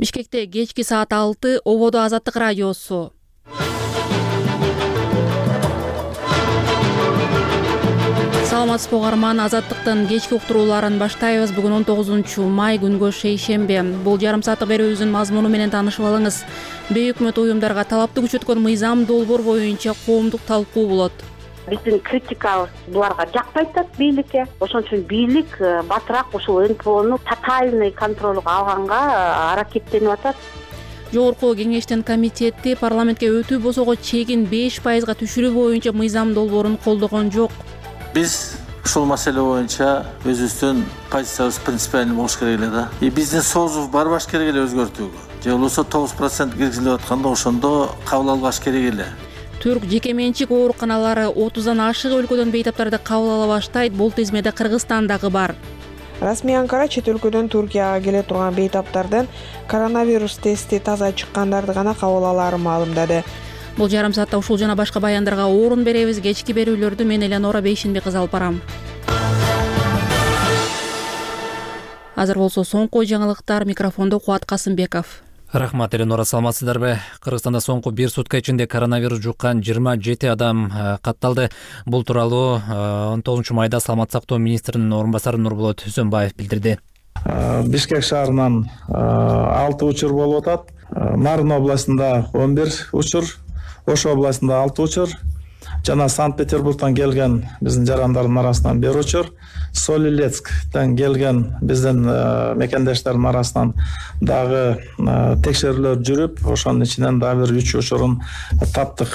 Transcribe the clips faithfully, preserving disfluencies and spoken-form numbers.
Бишкекте кечки саат алты ободо Азаттык радиосу. Саламатсызбы угарман, Азаттыктын кечки уктурууларын баштайбыз. Бүгүн он тогузунчу май күнгө шейшембе. Бул жарым сааттык берүүбүздүн мазмуну менен таанышып алыңыз. Бейөкмөт уюмдарга талапты күчөткөн мыйзам долбоор боюнча коомдук талкуу болот. Биздин критикабыз буларга жакпай атат бийликке. Ошон үчүн бийлик батыраак ушул эн пэ ону тотальный контролго алганга аракеттенип атат. Жогорку кеңештин комитети парламентке өтүү босого чегин беш пайызга түшүрүү боюнча мыйзам долбоорун колдогон жок. Биз ушул маселе боюнча өзүбүздүн позициябыз принципиальный болуш керек эле да. И биздин соозу барбаш керек эле өзгөртүүгө. Же болбосо тогуз процент киргизилип атканда ошондо кабыл албаш керек эле. Түрк жеке менчик ооруканалары отуздан ашык өлкөдөн бейтаптарды кабыл ала баштайт. Бул тизмеде Кыргызстан дагы бар. Расмий Анкара чет өлкөдөн Туркияга келе турган бейтаптардын коронавирус тести таза чыккандарды гана кабыл алаарын маалымдады. Бул жарым саатта ушул жана башка баяндарга орун беребиз. Кечки берүүлөрдү мен Элеонора Бейшенбек кызы алып барам. Азыр болсо соңку жаңылыктар, микрофондо Кубат Касымбеков. Рахмат, Элеонора, саламатсыздарбы? Кыргызстанда соңку бир сутка ичинде коронавирус жуккан жыйырма жети адам катталды. Бул тууралуу он тогузунчу майда Саламат сактоо министринин орун басары Нурболот Үсөнбаев билдирди. Бишкек шаарынан алты учур болуп атат. Нарын областында он бир учур, Ош областында алты учур, жана Санкт-Петербургдан келген биздин жарандардын арасынан бир учур, Солилецктен келген биздин мекендештердин арасынан дагы текшерүүлөр жүрүп, ошонун ичинен дагы бир үч учурун таптык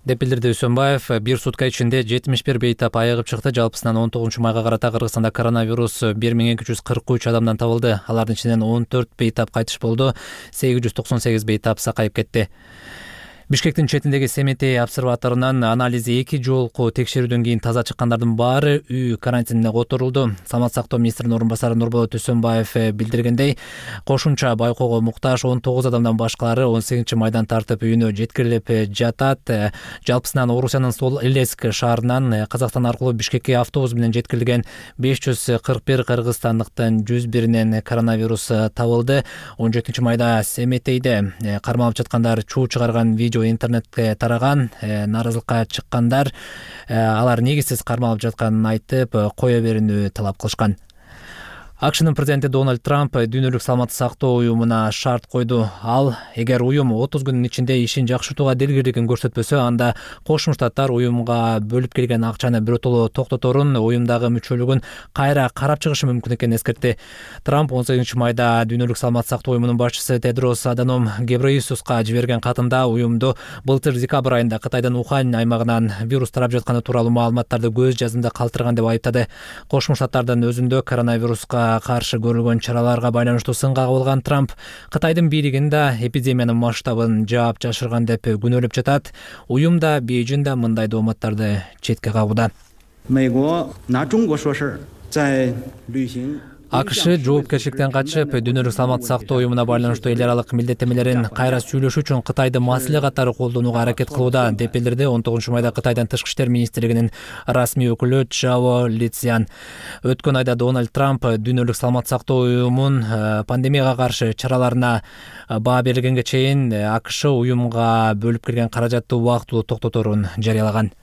деп билдирди Үсөнбаев. Бир сутка ичинде жетимиш бир бейтап айыгып чыкты. Жалпысынан он тогузунчу майга карата Кыргызстанда коронавирус бир миң эки жүз кырк үч адамдан табылды. Алардын ичинен он төрт бейтап кайтыш болду, сегиз жүз токсон сегиз бейтап сакайып кетти. Бишкектин четиндеги Семетей обсерваторунан анализи эки жолку текшерүүдөн кийин таза чыккандардын баары үй карантинине которулду. Саламат сактоо министринин орун басары Нурболот Үсөнбаев билдиргендей, кошумча байкоого муктаж он тогуз адамдан башкалары он сегизинчи майдан тартып үйүнө жеткирилип жатат. Жалпысынан Орусиянын Солилецк шаарынан Казакстан аркылуу Бишкекке автобус менен жеткирилген беш жүз кырк бир кыргызстандыктын жүз биринен коронавирус табылды. он жетинчи майда Семетейде кармалып жаткандар чуу чыгарган видео интернетке тараган. Нааразылыкка чыккандар алар негизсиз кармалып жатканын айтып, кое берүүнү талап кылышкан. АКШнын президенти Дональд Трамп дүйнөлүк саламаттык сактоо уюмуна шарт койду. Ал, эгер уюм отуз күнүн ичинде ишин жакшыртууга дилгирлигин көрсөтпөсө, анда Кошмо Штаттар уюмга бөлүп келген акчаны биротоло токтоторун, уюмдагы мүчөлүгүн кайра карап чыгышы мүмкүн экенин эскертти. Трамп он сегизинчи майда дүйнөлүк саламаттык сактоо уюмунун башчысы Тедрос Аданом Гебрейесуска жиберген катында уюмду былтыр декабрь айында Кытайдын Ухань аймагынан вирус тарап жатканы тууралуу маалыматтарды көз жазымда калтырган деп айыптады. Кошмо Штаттардын өзүндө коронавируска каршы көрүлгөн чараларга байланыштуу сынга кабылган Трамп Кытайдын бийлигин да эпидемиянын масштабын жаап жашырган деп күнөөлөп жатат. Уюм да Бейжиң да мындай дооматтарды четке кагууда. АКШ жоопкерчиликтен качып, дүйнөлүк саламаттык сактоо уюмуна байланыштуу эл аралык милдеттемелерин кайра сүйлөшүү үчүн Кытайды маселе катары колдонууга аракет кылууда деп билдирди он тогузунчу майда Кытайдын тышкы иштер министрлигинин расмий өкүлү Чжао Лицзян. Өткөн айда Дональд Трамп дүйнөлүк саламаттык сактоо уюмун пандемияга каршы чараларына баа берилгенге чейин АКШ уюмга бөлүп келген каражатты убактылуу токтоторун жарыялаган.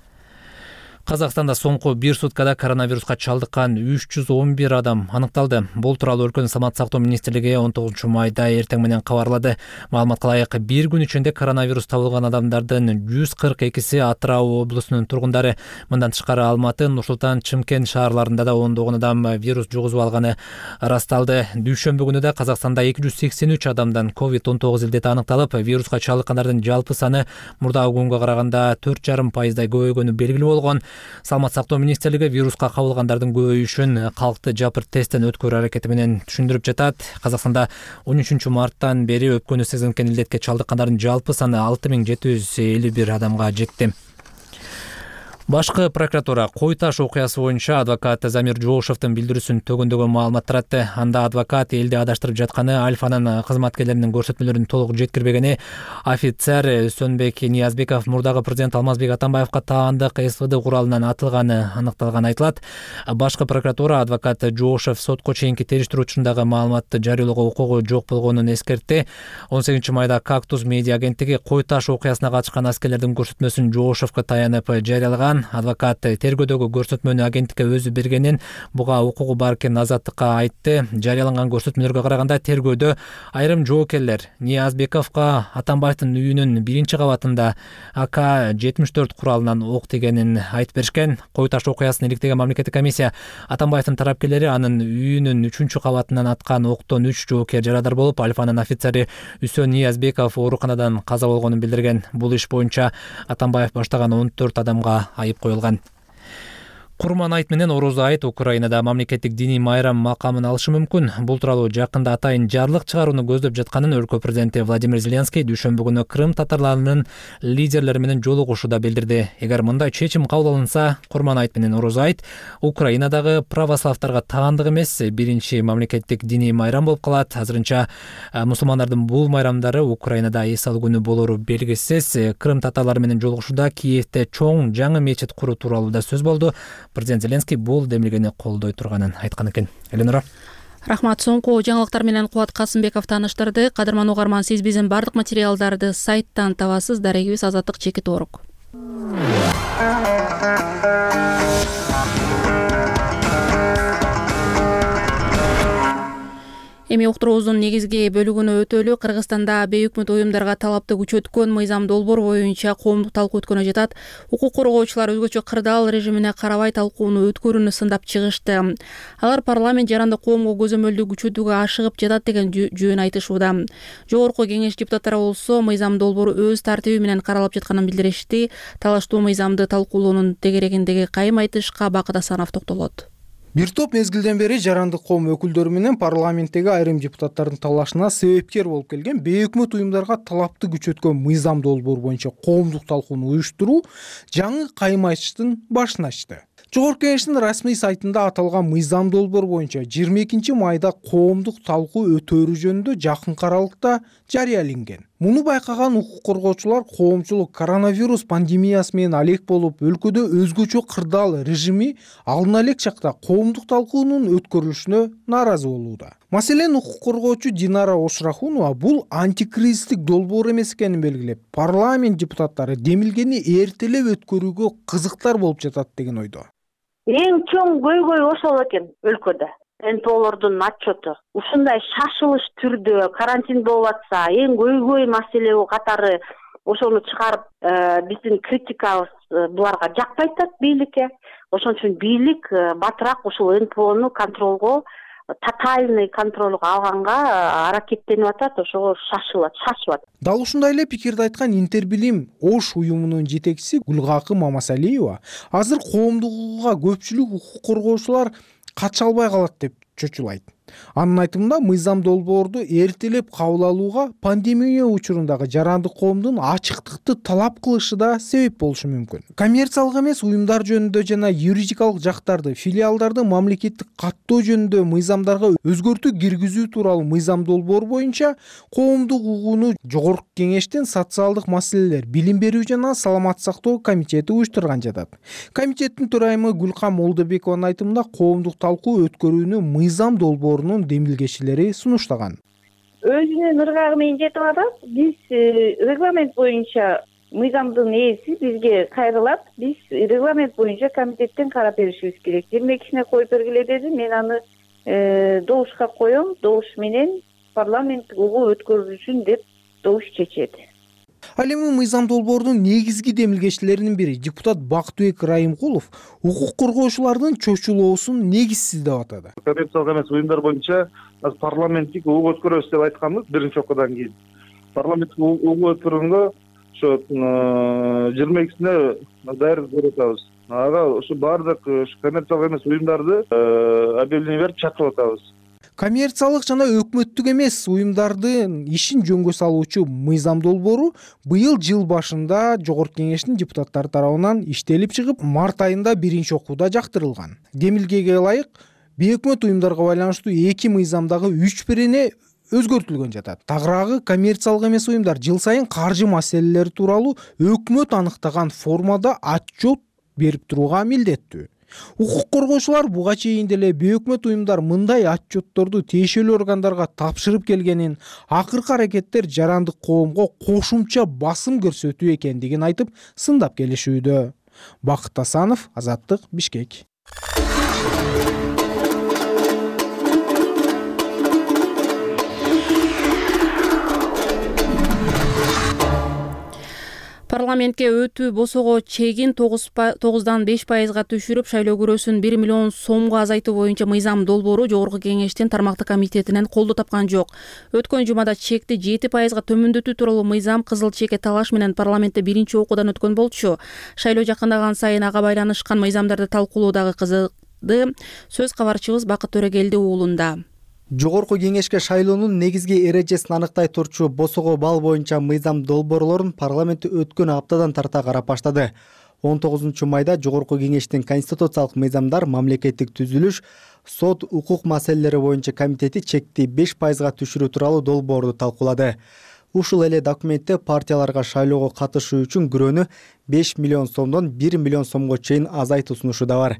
Казакстанда соңку бир суткада коронавируска чалдыккан үч жүз он бир адам аныкталды. Бул тууралуу өлкөнүн саламаттык сактоо министрлиги он тогузунчу майда эртең менен кабарлады. Маалыматка ылайык, бир күн ичинде коронавирус табылган адамдардын жүз кырк экиси Атырау облусунун тургундары. Мындан тышкары Алматы, Нур Султан, Чымкент шаарларында да ондогон адам вирус жугузуп алганы ырасталды. Дүйшөмбү күнү да Казакстанда эки жүз сексен үч адамдан ковид он тогуз илдети аныкталып, вируска чалдыккандардын жалпы саны мурдагы күнгө караганда төрт жарым пайыздай көбөйгөнү белгилүү болгон. Саламат сактоо министрлиги вируска кабылгандардын көбөйүшүн калкты жапыр тесттен өткөрүү аракети менен түшүндүрүп жатат. Казакстанда он үчүнчү марттан бери өпкөнү сезинген илдетке чалдыккандардын жалпы саны алты миң жети жүз элүү бир адамга жетти. Башкы прокуратура Кой Таш окуясы боюнча адвокат Замир Жоошевдун билдирүүсүн төгөндөгөн маалымат таратты. Анда адвокат элди адаштырып жатканы, Альфанын кызматкерлеринин көрсөтмөлөрүн толук жеткирбегени, офицер Сөнбек Ниязбеков мурдагы президент Алмазбек Атамбаевка таандык СВД куралынан атылганы аныкталганы айтылат. Башкы прокуратура адвокат Жоошев сотко чейинки териштирүү учурундагы маалыматты жарыялоого укугу жок болгонун эскертти. он сегизинчи майда Кактус медиа агенттиги Кой Таш окуясына катышкан аскерлердин көрсөтмөсүн Жоошевке таянып жарыялаган. Адвокат тергөөдөгү көрсөтмөнү агенттикке өзү бергенин, буга укугу бар экенин Азаттыкка айтты. Жарыяланган көрсөтмөлөргө караганда тергөөдө айрым жоокерлер Ниязбековго Атамбаевдин үйүнүн биринчи кабатында А К жетимиш төрт куралынан ок тигенин айтып беришкен. Кой Таш окуясын иликтеген мамлекеттик комиссия Атамбаевдин тарапкерлери анын үйүнүн үчүнчү кабатынан аткан октон үч жоокер жарадар болуп, Альфанын офицери Үсөн Ниязбеков ооруканадан каза болгонун билдирген. Бул иш боюнча Атамбаев баштаган он төрт адамга айып коюлган. Курман айт менен Орозо айт Украинада мамлекеттик диний майрам макамын алышы мүмкүн. Бул тууралуу жакында атайын жарлык чыгарууну көздөп жатканын өлкө президенти Владимир Зеленский дүйшөмбү күнү Крым татарларынын лидерлери менен жолугушууда билдирди. Эгер мындай чечим кабыл алынса, Курман айт менен Орозо айт Украинадагы православтарга таандык эмес биринчи мамлекеттик диний майрам болуп калат. Азырынча мусулмандардын бул майрамдары Украинада эс алуу күнү болору белгисиз. Крым татарлары менен жолугушууда Киевде чоң жаңы мечит куруу тууралуу да сөз болду. Президент Зеленский бул демилгени колдой турганын айткан экен. Эленора. Рахмат. Соңку жаңылыктар менен Кубат Касымбеков тааныштырды. Кадырман угарман, сиз биздин бардык материалдарды сайттан табасыз. Дарегибиз Азаттык Чеки Торок. Эми уктуруубуздун негизги бөлүгүнө өтөлү. Кыргызстанда бейөкмөт уюмдарга талапты күчөткөн мыйзам долбоор боюнча коомдук талкуу өткөнү жатат. Укук коргоочулар өзгөчө кырдаал режимине карабай талкууну өткөрүүнү сындап чыгышты. Алар парламент жаранды коомго көзөмөлдү күчөтүүгө ашыгып жатат деген жөн айтышууда. Жогорку кеңеш депутаттары болсо мыйзам долбоору өз тартиби менен каралып жатканын билдиришти. Талаштуу мыйзамды талкуулоонун тегерегиндеги кайым айтышка Бакыт Асанов токтолот. Бир топ мезгилден бери жарандык коом өкүлдөрү менен парламенттеги айрым депутаттардын талашына себепкер болуп келген бейөкмөт уюмдарга талапты күчөткөн мыйзам долбоор боюнча коомдук талкууну уюштуруу жаңы кайым айтыштын башын ачты. Жогорку кеңештин расмий сайтында аталган мыйзам долбоор боюнча жыйырма экинчи майда коомдук талкуу өтөөрү жөнүндө жакынкы аралыкта жарыяланген. Муну байкаган укук коргоочулар коомчулук коронавирус пандемиясы менен алек болуп, өлкөдө өзгөчө кырдаал режими алына элек чакта коомдук талкуунун өткөрүлүшүнө нааразы болууда. Маселен, укук коргоочу Динара Ошрахунова бул антикризистик долбоор эмес экенин белгилеп, парламент депутаттары демилгени эртелеп өткөрүүгө кызыктар болуп жатат деген ойдо. Эң чоң көйгөй ошол экен өлкөдө. эн пэ олордун отчету. Ушундай шашылыш түрдө карантин болуп атса, эң көйгөй маселе катары ошону чыгарып, биздин критикабыз буларга жакпай атат бийликке. Ошон үчүн бийлик батыраак ушул эн пэ ону контролго, тотальный контролго алганга аракеттенип атат, ошого шашылат, шашып атат. Дал ушундай эле пикирди айткан Интербилим Ош уюмунун жетекчиси Гүлгакы Мамасалиева азыр коомдук укукка көпчүлүк укук коргоочулар кача албай калат деп чочулайт. Анын айтымында мыйзам долбоорду эртелеп кабыл алууга пандемия учурундагы жарандык коомдун ачыктыкты талап кылышы да себеп болушу мүмкүн. Коммерциялык эмес уюмдар жөнүндө жана юридикалык жактарды, филиалдарды мамлекеттик каттоо жөнүндө мыйзамдарга өзгөртүү киргизүү тууралуу мыйзам долбоор боюнча коомдук укууну Жогорку кеңештин социалдык маселелер, билим берүү жана саламаттык сактоо комитети уюштурган жатат. Комитеттин төрайымы Гүлкам Молдобекованын айтымында коомдук талкуу өткөрүүнү мыйзам долбоор демилгечилери сунуштаган. Өзүнүн ыргагы менен жетип атат. Биз регламент боюнча мыйзамдын ээси бизге кайрылат. Биз регламент боюнча комитеттен карап беришибиз керек. жыйырма экисине коюп бергиле деди. Мен аны добушка коем. Добуш менен парламент угуу өткөрүлүшүн деп добуш чечет. Ал эми мыйзам долбоордун негизги демилгечилеринин бири депутат Бактыбек Райымкулов укук коргоочулардын чочулоосун негизсиз деп атады. Коммерциялык эмес уюмдар боюнча парламенттик угуу өткөрөбүз деп айтканбыз биринчи окуудан кийин. Парламенттик угуу өткөргөнгө ошо жыйырма экисине даярдык көрүп атабыз. Ага ошо баардык коммерциялык эмес уюмдарды объявление берип чакырып атабыз. Коммерциялык жана өкмөттүк эмес уюмдардын ишин жөнгө салуучу мыйзам долбоору быйыл жыл башында Жогорку Кеңештин депутаттары тарабынан иштелип чыгып, март айында биринчи окууда жактырылган. Демилгеге ылайык, бейөкмөт уюмдарга байланыштуу эки мыйзамдагы үч бирине өзгөртүлгөн жатат. Тагыраагы коммерциялык эмес уюмдар жыл сайын каржы маселелери тууралуу өкмөт аныктаган формада отчет берип турууга милдеттүү. Укук коргоочулар буга чейин деле бейөкмөт уюмдар мындай отчетторду тиешелүү органдарга тапшырып келгенин, акыркы аракеттер жарандык коомго кошумча басым көрсөтүү экендигин айтып сындап келишүүдө. Бакыт Асанов, Азаттык, Бишкек. Парламентке өтүү босого чегин тогуздан беш пайызга түшүрүп, шайлоо күрөсүн бир миллион сомго азайтуу боюнча мыйзам долбоору Жогорку Кеңештин тармактык комитетинен колдоо тапкан жок. Өткөн жумада чекти жети пайызга төмөндөтүү тууралуу мыйзам кызыл чеке талаш менен парламентте биринчи окуудан өткөн болчу. Шайлоо жакындаган сайын ага байланышкан мыйзамдарды талкуулоо дагы кызыды. Сөз кабарчыбыз Бакыт Төрөгелди уулунда. Жогорку Кеңешке шайлоонун негизги эрежесин аныктай турчу босого бал боюнча мыйзам долбоорлорун парламент өткөн аптадан тарта карап баштады. он тогузунчу майда Жогорку Кеңештин конституциялык мыйзамдар, мамлекеттик түзүлүш, сот, укук маселелери боюнча комитети чекти беш пайызга түшүрүү тууралуу долбоорду талкуулады. Ушул эле документте партияларга шайлоого катышуу үчүн күрөөнү беш миллион сомдон бир миллион сомго чейин азайтуу сунушу да бар.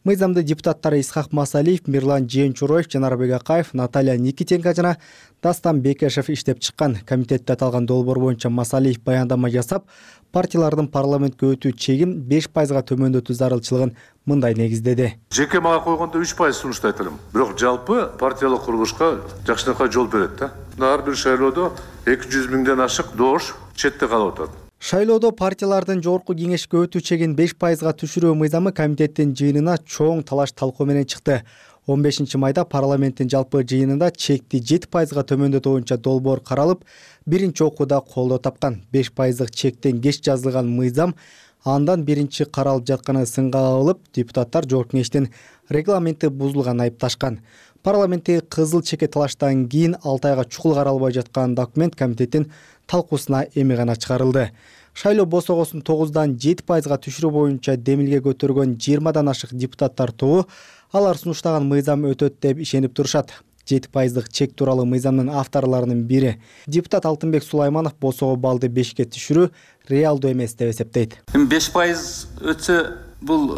Мыйзамды депутаттары Исхак Масалиев, Мирлан Жээнчуроев, Жанарбек Акаев, Наталья Никитенко жана Дастан Бекешев иштеп чыккан. Комитетте аталган долбоор боюнча Масалиев баяндама жасап, партиялардын парламентке өтүү чегин беш пайызга төмөндөтүү зарылчылыгын мындай негиздеди. Жеке мага койгондо үч пайыз сунушту айта алам. Бирок жалпы партиялык курулушка жакшынакай жол берет да. Ар бир шайлоодо эки жүз миңден ашык доош четте калып атат. Шайлоодо партиялардын Жогорку Кеңешке өтүү чегин беш пайызга түшүрүү мыйзамы комитеттин жыйынына чоң талаш талкуу менен чыкты. он бешинчи майда парламенттин жалпы жыйынында чекти жети пайызга төмөндөтүү боюнча долбоор каралып, биринчи окууда колдоо тапкан. беш пайыздык чектен кеч жазылган мыйзам андан биринчи каралып жатканы сынга алып, депутаттар Жогорку Кеңештин регламенти бузулганын айыпташкан. Парламенттеги кызыл чеке талаштан кийин алты айга чукул каралбай жаткан документ комитеттин талкуусуна эми гана чыгарылды. Шайлоо босогосун тогуздан жети пайызга түшүрүү боюнча демилге көтөргөн жыйырмадан ашык депутаттар тобу алар сунуштаган мыйзам өтөт деп ишенип турушат. жети пайыздык чек тууралуу мыйзамдын авторлорунун бири депутат Алтынбек Сулайманов босого балды бешке түшүрүү реалдуу эмес деп эсептейт. Эми беш пайыз өтсө бул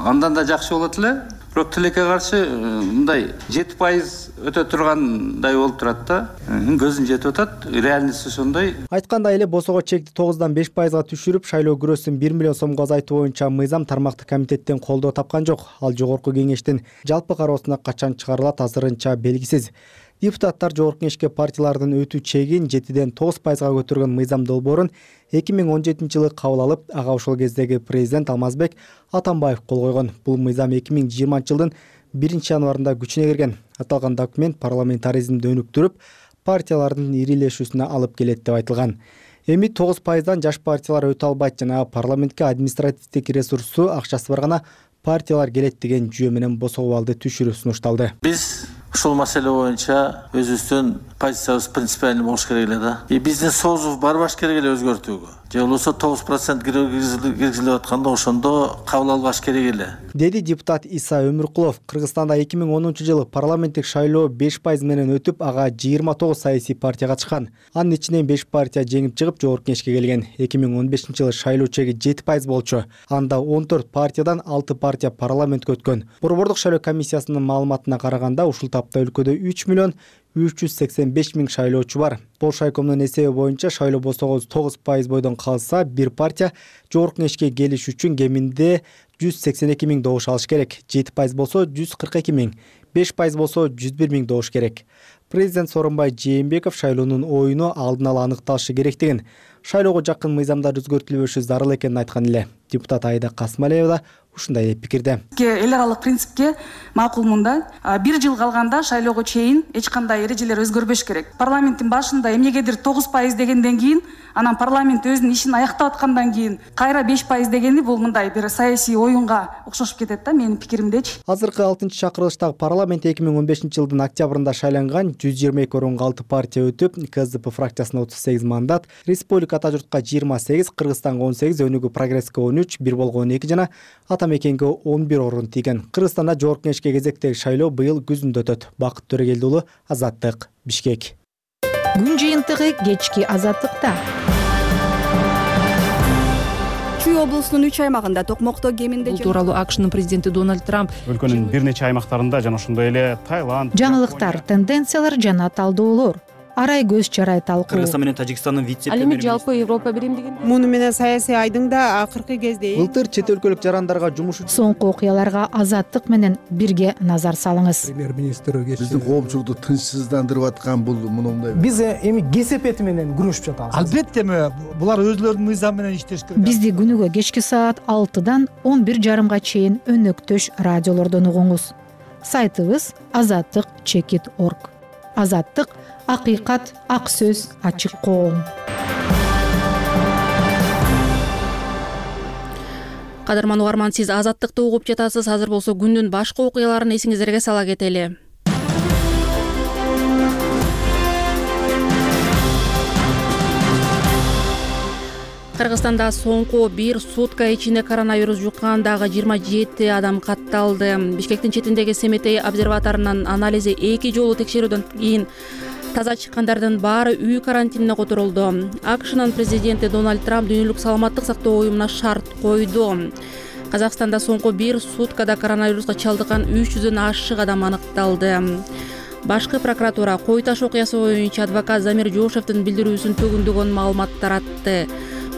андан да жакшы болот эле. Бирок тилекке каршы мындай жети пайыз өтө тургандай болуп турат да. Көзүн жетип атат. Реальность ошондой. Айткандай эле босого чекти тогуздан беш пайызга түшүрүп, шайлоо күрөсүн бир миллион сомго азайтуу боюнча мыйзам тармактык комитеттен колдоо тапкан жок. Ал Жогорку Кеңештин жалпы кароосуна качан чыгарылат азырынча белгисиз. Депутаттар Жогорку Кеңешке партиялардын өтүү чегин жетиден тогуз пайызга көтөргөн мыйзам долбоорун эки миң он жетинчи жылы кабыл алып, ага ошол кездеги президент Алмазбек Атамбаев кол койгон. Бул мыйзам эки миң жыйырманчы жылдын биринчи январында күчүнө кирген. Аталган документ парламентаризмди өнүктүрүп, партиялардын ирилешүүсүнө алып келет деп айтылган. Эми тогуз пайыздан жаш партиялар өтө албайт жана парламентке административдик ресурсу, акчасы бар гана партиялар келет деген жүйө менен босого балды түшүрүү сунушталды. Биз ушул маселе боюнча өзүбүздүн позициябыз принципиальный болуш керек эле да. И биздин соозу барбаш керек эле өзгөртүүгө. Же болбосо тогуз процент киргизилип атканда ошондо кабыл албаш керек эле, деди депутат Иса Өмүркулов. Кыргызстанда эки миң онунчу жылы парламенттик шайлоо беш пайыз менен өтүп, ага жыйырма тогуз саясий партия катышкан. Анын ичинен беш партия жеңип чыгып Жогорку Кеңешке келген. эки миң он бешинчи жылы шайлоо чеги жети пайыз болчу. Анда он төрт партиядан алты партия парламентке өткөн. Борбордук шайлоо комиссиясынын маалыматына караганда ушул тапта өлкөдө үч миллион үч жүз сексен беш миң шайлоочу бар. Болшайкомдун эсеби боюнча шайлоо босого тогуз пайыз бойдон калса, бир партия Жогорку Кеңешке келиш үчүн кеминде жүз сексен эки миң добуш алыш керек. жети пайыз болсо жүз кырк эки миң, беш пайыз болсо жүз бир миң добуш керек. Президент Сооронбай Жээнбеков шайлоонун оюну алдын ала аныкталышы керектигин, шайлоого жакын мыйзамдар өзгөртүлбөшү зарыл экенин айткан эле. Депутат Айда Касмалиева да ушундай деп пикирде. Эл аралык принципке макулмун да. Бир жыл калганда шайлоого чейин эч кандай эрежелер өзгөрбөш керек. Парламенттин башында эмнегедир тогуз пайыз дегенден кийин, анан парламент өзүнүн ишин аяктап аткандан кийин кайра беш пайыз дегени бул мындай бир саясий оюнга окшошуп кетет да, менин пикиримдечи. Азыркы алтынчы чакырылыштагы парламент парламент эки миң он бешинчи жылдын октябрында шайланган жүз жыйырма эки орунга алты партия өтүп, КСДП фракциясына отуз сегиз мандат, Республика Ата журтка жыйырма сегиз, Кыргызстанга он сегиз, Өнүгүү Прогресске он үч, Бир Болго он эки жана Ата Мекенге он бир орун тийген. Кыргызстанда жогорку кеңешке кезектеги шайлоо быйыл күзүндө өтөт. Бакыт Төрөгелди уулу, Азаттык, Бишкек. Күн жыйынтыгы кечки Азаттыкта. Чүй облусунун үч аймагында токмокто кеминде Бул тууралуу АКШнын президенти Дональд Трамп өлкөнүн бир нече аймактарында жана ошондой эле Таиланд, жаңылыктар, тенденциялар жана талдоолор, арай көз чарай талкуу. Кыргызстан менен Тажикстандын вице-премьери. Ал эми жалпы Европа биримдигинде муну менен саясий айдың да акыркы кезде Былтыр чет өлкөлүк жарандарга жумуш үчүн соңку окуяларга Азаттык менен бирге назар салыңыз. Премьер-министр биздин коомчулукту тынчсыздандырып аткан бул мындай. Биз эми кесепети менен күрөшүп жатабыз. Албетте булар өзлөрүнүн мыйзамы менен иштеш керек. Бизди күнүгө кечки саат алтыдан он бир жарымга чейин өнөктөш радиолордон угуңуз. Сайтыбыз азаттык чекит точка орг. Азаттык — акыйкат, ак сөз, ачык коом. Кадырман угарман, сиз Азаттыкты угуп жатасыз. Азыр болсо күндүн башка окуяларын эсиңиздерге сала кетели. Кыргызстанда соңку бир сутка ичинде коронавирус жуккандагы жыйырма жети адам катталды. Бишкектин четиндеги Семетей обсерваторунун анализи эки жолу текшерүүдөн кийин таза чыккандардын баары үй карантинине которулду. АКШнын президенти Дональд Трамп дүйнөлүк саламаттык сактоо уюмуна шарт койду. Казакстанда соңку бир суткада коронавируска чалдыккан үч жүздөн ашык адам аныкталды. Башкы прокуратура Кой Таш окуясы боюнча адвокат Замир Жошевдин билдирүүсүн төгүндөгөн маалымат таратты.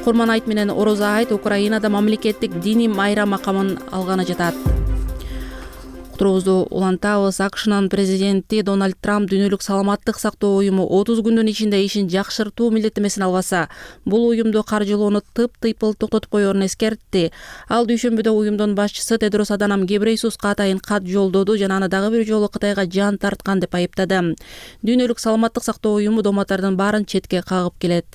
Курман айт менен Ороза айт Украинада мамлекеттик диний майрам макамын алганы жатат. Уктуруубузду улантабыз. АКШнын президенти Дональд Трамп дүйнөлүк саламаттык сактоо уюму отуз күндүн ичинде ишин жакшыртуу милдеттемесин албаса, бул уюмду каржылоону тып-тыйпыл токтотуп коерун эскертти. Ал дүйшөмбүдө уюмдун башчысы Тедрос Аданам Гебрейсуска атайын кат жолдоду жана аны дагы бир жолу Кытайга жан тарткан деп айыптады. Дүйнөлүк саламаттык сактоо уюму доматтардын баарын четке кагып келет.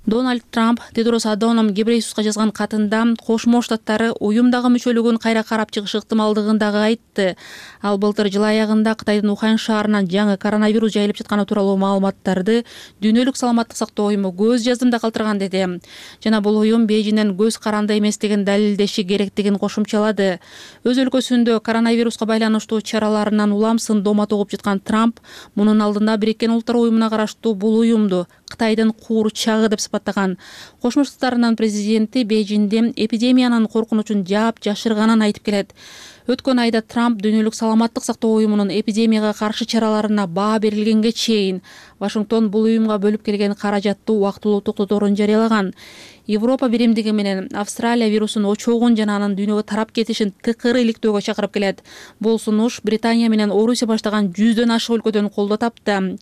Дональд Трамп Тедрос Аданом Гебрейсуска жазган катында Кошмо Штаттары уюмдагы мүчөлүгүн кайра карап чыгыш ыктымалдыгын дагы айтты. Ал былтыр жыл аягында Кытайдын Ухань шаарынан жаңы коронавирус жайылып жатканы тууралуу маалыматтарды дүйнөлүк саламаттык сактоо уюму көз жаздымда калтырган деди. Жана бул уюм Бейжиңден көз каранды эместигин далилдеши керектигин кошумчалады. Өз өлкөсүндө коронавируска байланыштуу чараларынан уламсын домат угуп жаткан Трамп мунун алдында Бириккен Улуттар уюмуна караштуу бул уюмду Кытайдын куурчагы деп сыпаттаган. Кошмо Штаттарынын президенти Бейжиңде эпидемиянын коркунучун жаап жашырганын айтып келет. Өткөн айда Трамп дүйнөлүк саламаттык сактоо уюмунун эпидемияга каршы чараларына баа берилгенге чейин Вашингтон бул уюмга бөлүп келген каражатты убактылуу токтоторун жарыялаган. Европа биримдиги менен Австралия вирусунун очогун жана анын дүйнөгө тарап кетишин тыкыры иликтөөгө чакырып келет. Бул сунуш Британия менен Орусия баштаган жүздөн ашык өлкөдөн колдоо тапты.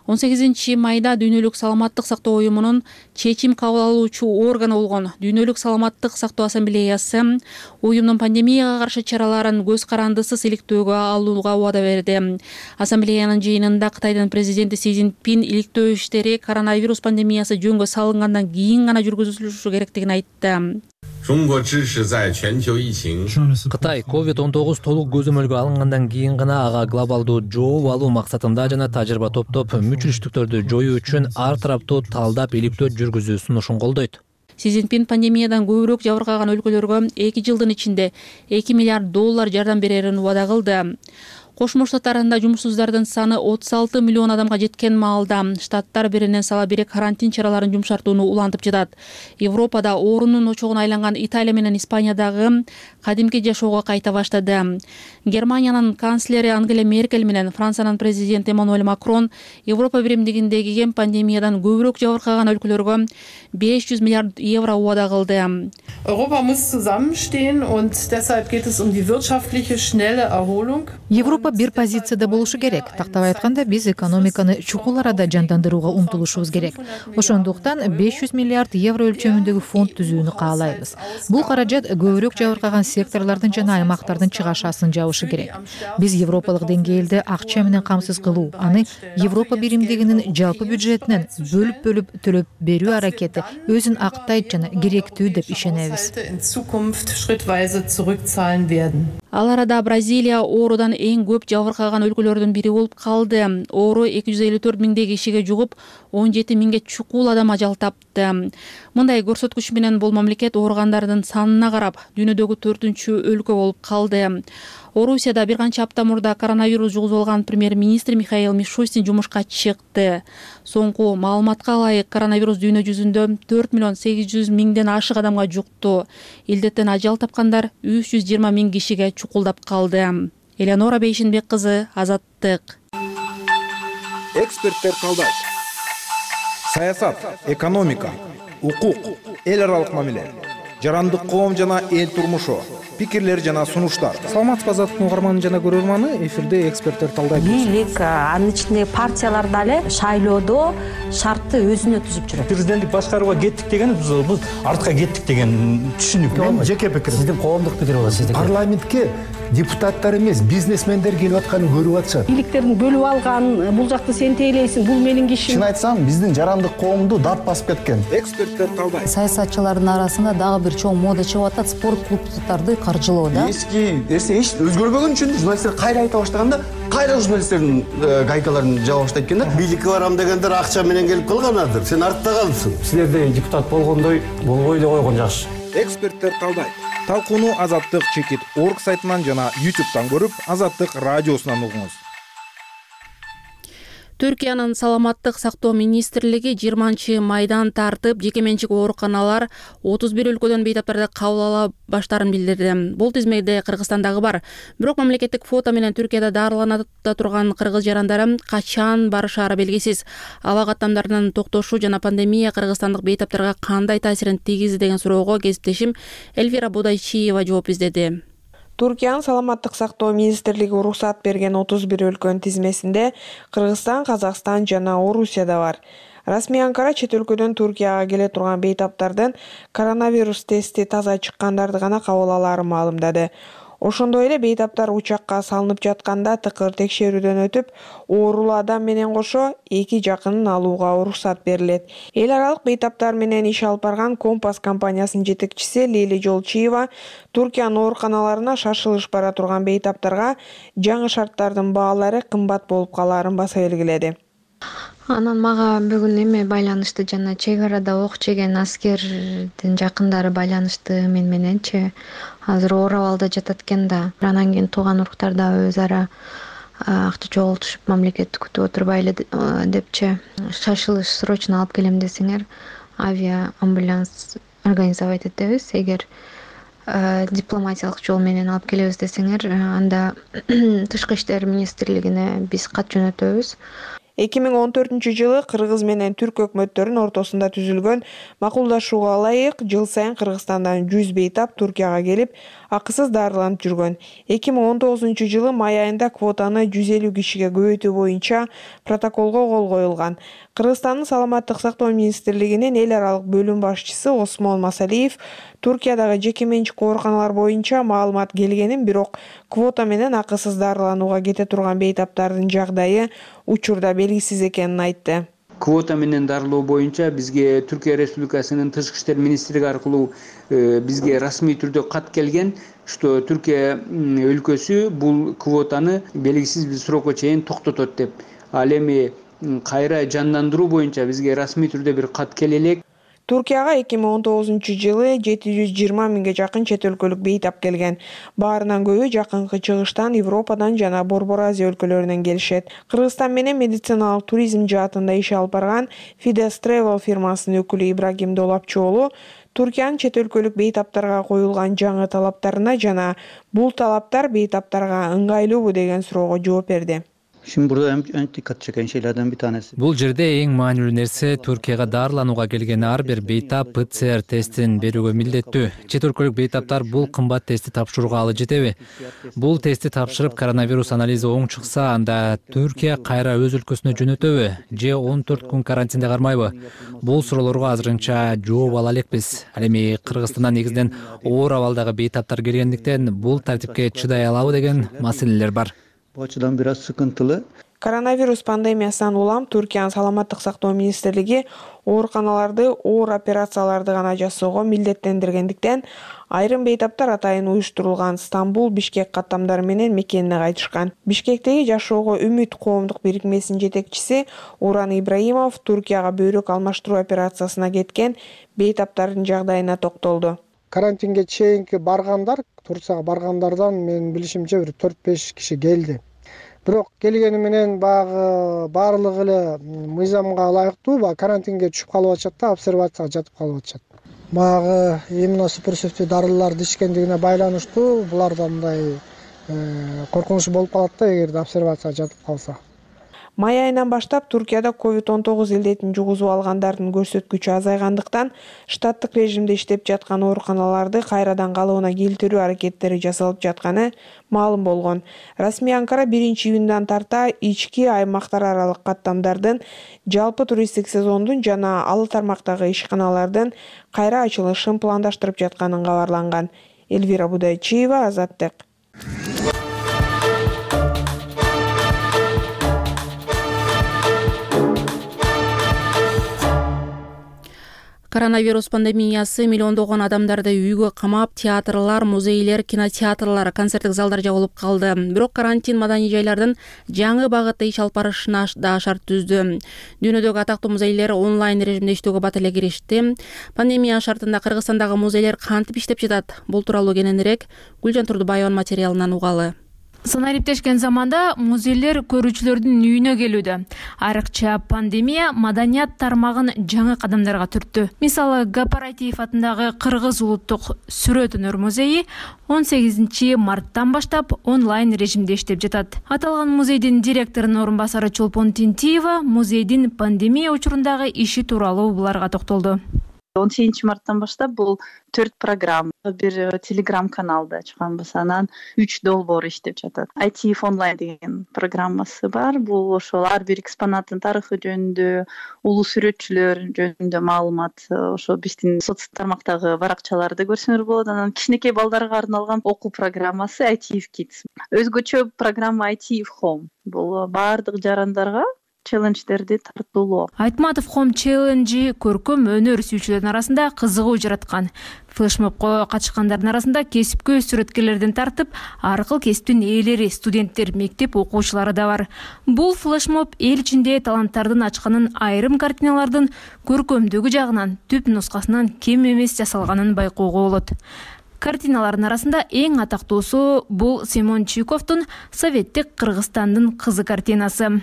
он сегизинчи майда дүйнөлүк саламаттык сактоо уюмунун чечим кабыл алуучу органы болгон Дүйнөлүк саламаттык сактоо ассамблеясы уюмдун пандемияга каршы чараларын көз карандысыз иликтөөгө алууга убада берди. Ассамблеянын жыйынында Кытайдын президенти Си Цзиньпин иликтөө иштери коронавирус пандемиясы жөнгө салынгандан кийин гана жүргүзүлүшү керектигин айтты. Кытай ковид он тогуз толук көзөмөлгө алынгандан кийин гана ага глобалдуу жооп алуу максатында жана тажрыйба топтоп мүчүлүштүктөрдү жоюу үчүн ар тараптуу талдап иликтөө жүргүзүү сунушун колдойт. Си Цзиньпин пандемиядан көбүрөөк жабыркаган өлкөлөргө эки жылдын ичинде эки миллиард доллар жардам берерин убада кылды. Кошмо Штаттарында жумушсуздардын саны отуз алты миллион адамга жеткен маалда штаттар биринен сала бири карантин чараларын жумшартууну улантып жатат. Европада оорунун очогуна айланган Италия менен Испаниядагы кадимки жашоого кайта баштады. Германиянын канцлери Ангела Меркель менен Франциянын президенти Эммануэль Макрон Европа биримдигиндеги пандемиядан көбүрөөк жабыркаган өлкөлөргө беш жүз миллиард евро убада кылды. Europa muss zusammenstehen und deshalb geht es um die wirtschaftliche schnelle Erholung. Европа бир позицияда болушу керек. Тактап айтканда, биз экономиканы чукул арада жандандырууга умтулушубуз керек. Ошондуктан беш жүз миллиард евро өлчөмүндөгү фонд түзүүнү каалайбыз. Бул каражат көбүрөөк жабыркаган секторлордун жана аймактардын чыгашасын жабышы керек. Биз европалык деңгээлде акча менен камсыз кылуу, аны Европа биримдигинин жалпы бюджетинен бөлүп-бөлүп төлөп берүү аракети өзүн актайт жана керектүү деп ишенебиз. Ал арада Бразилия оорудан эң көп жабыркаган өлкөлөрдүн бири болуп калды. Оору эки жүз элүү төрт миңдей кишиге жугуп, он жети миңге чукул адам ажал тапты. Мындай көрсөткүч менен бул мамлекет ооругандардын санына карап дүйнөдөгү төртүнчү өлкө болуп калды. Орусияда бир канча апта мурда коронавирус жугузуп алган премьер-министр Михаил Мишустин жумушка чыкты. Соңку маалыматка ылайык, коронавирус дүйнө жүзүндө төрт миллион сегиз жүз миңден ашык адамга жукту. Илдеттен ажал тапкандар үч жүз жыйырма миң кишиге чукулдап калды. Элеонора Бейшенбек кызы, Азаттык. Эксперттер талдайт. Саясат, экономика, укук, эл аралык мамиле, жарандык коом жана эл турмушу, пикирлер жана сунуштар. Саламатсызбы, Азаттыктын угарманы жана көрөрманы, эфирде эксперттер талдайт. Бийлик, анын ичинде партиялар дагы шайлоодо шартты өзүнө түзүп жүрөт. Президенттик башкарууга кеттик деген бул артка кеттик деген түшүнүк. Мен жеке пикирим. Сиздин коомдук пикир болот, сиздики. Парламентке депутаттар эмес, бизнесмендер келип атканын көрүп атышат. Бийликтердин бөлүп алган, бул жакты сен тейлейсиң, бул менин кишим. Чын айтсам, биздин жарандык коомду дат басып кеткен. Эксперттер талдайт. Саясатчылардын арасында дагы бир чоң мода чыгып атат, спорт клубдарды каржылоо да. Эски нерсе эч өзгөрбөгөн үчүн журналисттер кайра айта баштаганда, кайра журналисттердин гайкаларын жаба баштайт экен да. Бийликке барам дегендер акча менен келип калганадыр. Сен артта калыпсың. Силерде депутат болгондой болбой эле койгон жакшы. Эксперттер талдайт. Талкууну Азаттык чекит орг сайтынан жана ютубтан көрүп, Азаттык радиосунан угуңуз. Түркиянын саламаттык сактоо министрлиги жыйырманчы майдан тартып жеке менчик ооруканалар отуз бир өлкөдөн бейтаптарды кабыл ала баштаарын билдирди. Бул тизмеде Кыргызстандагы бар. Бирок мамлекеттик фото менен Түркияда дарыланып турган кыргыз жарандары качан барышаары белгисиз. Аба каттамдарынын токтошу жана пандемия кыргызстандык бейтаптарга кандай таасирин тийгизди деген суроого кесиптешим Эльвира Будайчиева жооп издеди. Туркиянын саламаттык сактоо министрлиги уруксат берген отуз бир өлкөнүн тизмесинде Кыргызстан, Казакстан жана Орусия да бар. Расмий Анкара чет өлкөдөн Туркияга келе турган бейтаптардын коронавирус тести таза чыккандарды гана кабыл алаарын маалымдады. Ошондой эле бейтаптар учакка салынып жатканда тыкыр текшерүүдөн өтүп, оорулуу адам менен кошо эки жакынын алууга уруксат берилет. Эл аралык бейтаптар менен иш алып барган Компас компаниясынын жетекчиси Лили Жолчиева Туркиянын ооруканаларына шашылыш бара турган бейтаптарга жаңы шарттардын баалары кымбат болуп калаарын баса белгиледи. Анан мага бүгүн эме байланышты, жана чек арада ок жеген аскердин жакындары байланышты мен мененчи. Азыр оор абалда жатат экен да. Анан кийин тууган уруктар да өз ара акча чогултушуп мамлекетти күтүп отурбайлы депчи. Шашылыш срочно алып келем десеңер, авиа амбуланс организовать этебиз. Эгер дипломатиялык жол менен алып келебиз десеңер, анда тышкы иштер министрлигине биз кат жөнөтөбүз. эки миң он төртүнчү жылы Кыргыз менен Түрк өкмөттөрүнүн ортосунда түзүлгөн макулдашууга ылайык жыл сайын Кыргызстандан жүз бейтап Туркияга келип, акысыз дарыланып жүргөн. эки миң он тогузунчу жылы май айында квотаны жүз элүү кишиге көбөйтүү боюнча протоколго кол коюлган. Кыргызстандын саламаттык сактоо министрлигинин эл аралык бөлүм башчысы Осмон Масалиев Туркиядагы жеке менчик ооруканалар боюнча маалымат келгенин, бирок квота менен акысыз дарыланууга кете турган бейтаптардын жагдайы учурда белгисиз экенин айтты. Квота менен дарылоо боюнча бизге Түркия Республикасынын тышкы иштер министрлиги аркылуу бизге расмий түрдө кат келген, что Түркия өлкөсү бул квотаны белгисиз бир срокко чейин токтотот деп. Ал эми кайра жандандыруу боюнча бизге расмий түрдө бир кат келе элек. Туркияга эки миң он тогузунчу жылы жети жүз жыйырма миңге жакын чет өлкөлүк бейтап келген. Баарынан көбү жакынкы чыгыштан, Европадан жана Борбор Азия өлкөлөрүнөн келишет. Кыргызстан менен медициналык туризм жаатында иш алып барган Fides Travel фирмасынын өкүлү Ибрагим Долапчоолу Туркиянын чет өлкөлүк бейтаптарга коюлган жаңы талаптарына жана бул талаптар бейтаптарга ыңгайлуубу деген суроого жооп берди. Şimdi burada en dikkat çeken şeylerden bir tanesi. Бул жерде эң маанилүү нерсе Туркияга дарыланууга келген ар бир бейтап П Ц Р тестин берүүгө милдеттүү. Чет өлкөлүк бейтаптар бул кымбат тестти тапшырууга алы жетеби? Бул тестти тапшырып коронавирус анализи оң чыкса, анда Түркия кайра өз өлкөсүнө жөнөтөбү же он төрт күн карантинде кармайбы? Бул суроолорго азырынча жооп ала элекпиз. Ал эми Кыргызстандан негизинен оор абалдагы бейтаптар келгендиктен бул тартипке чыдай алабы деген маселелер бар. Bu açıdan biraz sıkıntılı. Коронавирус пандемиясынан улам Түркиянын саламаттык сактоо министрлиги ооруканаларды оор операцияларды гана жасоого милдеттендиргендиктен айрым бейтаптар атайын уюштурулган Стамбул, Бишкек каттамдары менен мекенине кайтышкан. Бишкектеги Жашоого үмүт коомдук бирикмесинин жетекчиси Уран Ибраимов Түркияга бөйрөк алмаштыруу операциясына кеткен бейтаптардын жагдайына токтолду. Карантинге чейинки баргандар, Турцияга баргандардан менин билишимче бир төрт беш киши келди. Бирок келгени менен баягы баардыгы эле мыйзамга ылайыктуу баягы карантинге түшүп калып атышат да, обсервацияга жатып калып атышат. Баягы иммуносупрессивдүү дарыларды ичкендигине байланыштуу буларда мындай коркунуч болуп калат да, эгерде обсервацияга жатып калса. Май айынан баштап Туркияда ковид он тогуз илдетин жугузуп алгандардын көрсөткүчү азайгандыктан штаттык режимде иштеп жаткан ооруканаларды кайрадан калыбына келтирүү аракеттери жасалып жатканы маалым болгон. Расмий Анкара биринчи июндан тарта ички аймактар аралык каттамдардын, жалпы туристтик сезондун жана ал тармактагы ишканалардын кайра ачылышын пландаштырып жатканын кабарланган. Элвира Будайчиева, Азаттык. Коронавирус пандемиясы миллиондогон адамдарды үйгө камап, театрлар, музейлер, кинотеатрлар, концерттик залдар жабылып калды. Бирок карантин маданий жайлардын жаңы багытта иш алып барышына да шарт түздү. Дүйнөдөгү атактуу музейлер онлайн режимде иштөөгө бат эле киришти. Пандемия шартында Кыргызстандагы музейлер кантип иштеп жатат? Бул тууралуу кененирээк Гүлжан Турдубаеванын материалынан угалы. Санариптешкен заманда музейлер көрүүчүлөрдүн үйүнө келүүдө. Айрыкча пандемия маданият тармагын жаңы кадамдарга түрттү. Мисалы, Гапар Айтиев атындагы Кыргыз улуттук сүрөт өнөр музейи он сегизинчи марттан баштап онлайн режимде иштеп жатат. Аталган музейдин директорунун орун басары Чолпон Тинтиева музейдин пандемия учурундагы иши тууралуу буларга токтолду. он сегизинчи марттан баштап бул төрт программа, бир телеграм каналда чыккан болсо, анан үч долбоор иштеп жатат. Айтиев онлайн деген программасы бар. Бул ошол ар бир экспонаттын тарыхы жөнүндө, улуу сүрөтчүлөр жөнүндө маалымат, ошо биздин соц тармактагы баракчаларды көрсөңөр болот. Анан кичинекей балдарга арналган окуу программасы Айтиев Kids. Өзгөчө программа Айтиев Home. Бул баардык жарандарга челлендждерди тартуулоо. Айтматов Home челленджи көркөм өнөр сүйүүчүлөрдүн арасында кызыгуу жараткан. Флешмобко катышкандардын арасында кесипкөй сүрөткерлерден тартып, ар кыл кесиптин ээлери, студенттер, мектеп окуучулары да бар. Бул флешмоб эл ичинде таланттардын ачканын, айрым картиналардын көркөмдүгү жагынан түп нускасынан кем эмес жасалганын байкоого болот. Картиналардын арасында эң атактуусу бул Семен Чуйковдун Советтик Кыргызстандын кызы картинасы.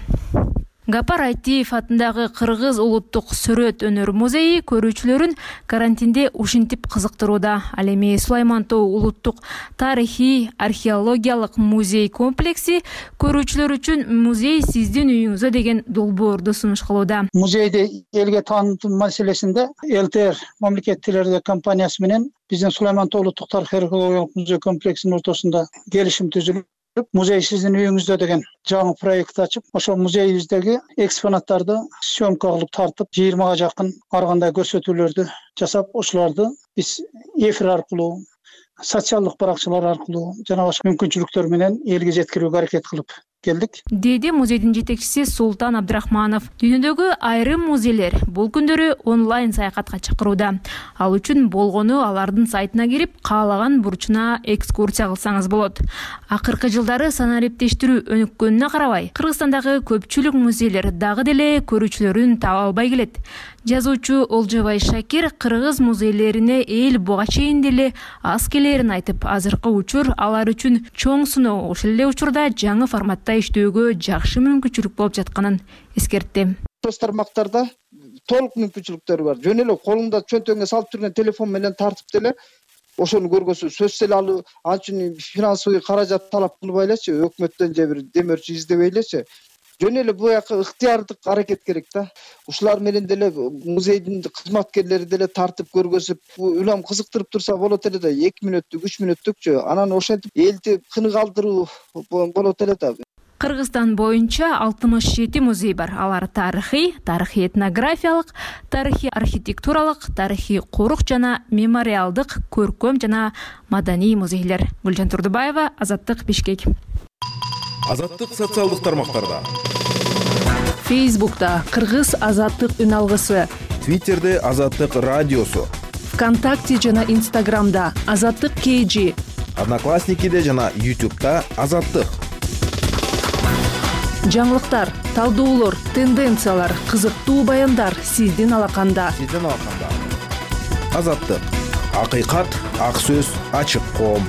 Гапар Айтиев атындагы Кыргыз улуттук сүрөт өнөр музейи көрүүчүлөрүн карантинде ушинтип кызыктырууда. Ал эми Сулайман Тоо улуттук тарыхый археологиялык музей комплекси көрүүчүлөр үчүн музей сиздин үйүңүзө деген долбоорду сунуш кылууда. Музейди элге таанытуу маселесинде ЛТР мамлекеттик телерадио компаниясы менен биздин Сулайман Тоо улуттук тарыхый археологиялык музей комплексинин ортосунда келишим түзүлүп, музей сиздин үйүңүздө деген жаңы проект ачып, ошол музейибиздеги экспонаттарды съемка кылып тартып, жыйырмага жакын ар кандай көрсөтүүлөрдү жасап, ошолорду биз эфир аркылуу, социалдык баракчалар аркылуу жана башка мүмкүнчүлүктөр менен элге жеткирүүгө аракет кылып келдик, деди музейдин жетекчиси Султан Абдрахманов. Дүйнөдөгү айрым музейлер бул күндөрү онлайн саякатка чакырууда. Ал үчүн болгону алардын сайтына кирип, каалаган бурчуна экскурсия кылсаңыз болот. Акыркы жылдары санариптештирүү өнүккөнүнө карабай, Кыргызстандагы көпчүлүк музейлер дагы деле көрүүчүлөрүн таба албай келет. Жазуучу Олжобай Шакир кыргыз музейлерине эл буга чейин деле аз келерин айтып, азыркы учур алар үчүн чоң сыноо, ошол эле учурда жаңы форматта иштөөгө жакшы мүмкүнчүлүк болуп жатканын эскертти. Соц тармактарда толук мүмкүнчүлүктөр бар. Жөн эле колуңда чөнтөгүңө салып жүргөн телефон менен тартып деле ошону көргөсү сөз эле алуу, анчын финансовый каражат талап кылбай элечи, өкмөттөн же бир демөөрчү издебей элечи. Жөн эле бул жака ыктыярдык аракет керек да. Ушулар менен деле музейдин кызматкерлери деле тартып көргөзүп, улам кызыктырып турса болот эле да, эки мүнөттүк, үч мүнөттүкчү. Анан ошентип элди кынык алдыруу болот эле да. Кыргызстан боюнча алтымыш жети музей бар. Алар тарыхый, тарыхый этнографиялык, тарыхый архитектуралык, тарыхый корук жана мемориалдык, көркөм жана маданий музейлер. Гүлжан Турдубаева, Азаттык, Бишкек. Азаттык социалдык тармактарда. Фейсбукта Кыргыз азаттык үн алгысы, Твиттерде Азаттык радиосу, ВКонтакте жана Инстаграмда Азаттык кей жи, Одноклассникиде жана Ютубта Азаттык. Жаңылыктар, талдоолор, тенденциялар, кызыктуу баяндар сиздин алаканда. Сиздин алаканда. Азаттык. Акыйкат, ак сөз, ачык коом.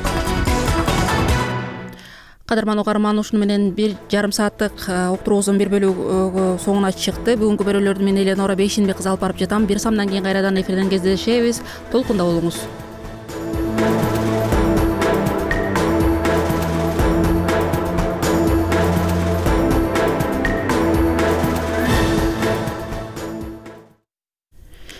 Кадырман угарман, ушуну менен бир жарым сааттык уктуруубуздун бир бөлүгү соңуна чыкты. Бүгүнкү берүүлөрдү мен Эленора Бейшенбек кызы алып барып жатам. Бир самдан кийин кайрадан эфирден кездешебиз. Толкунда болуңуз.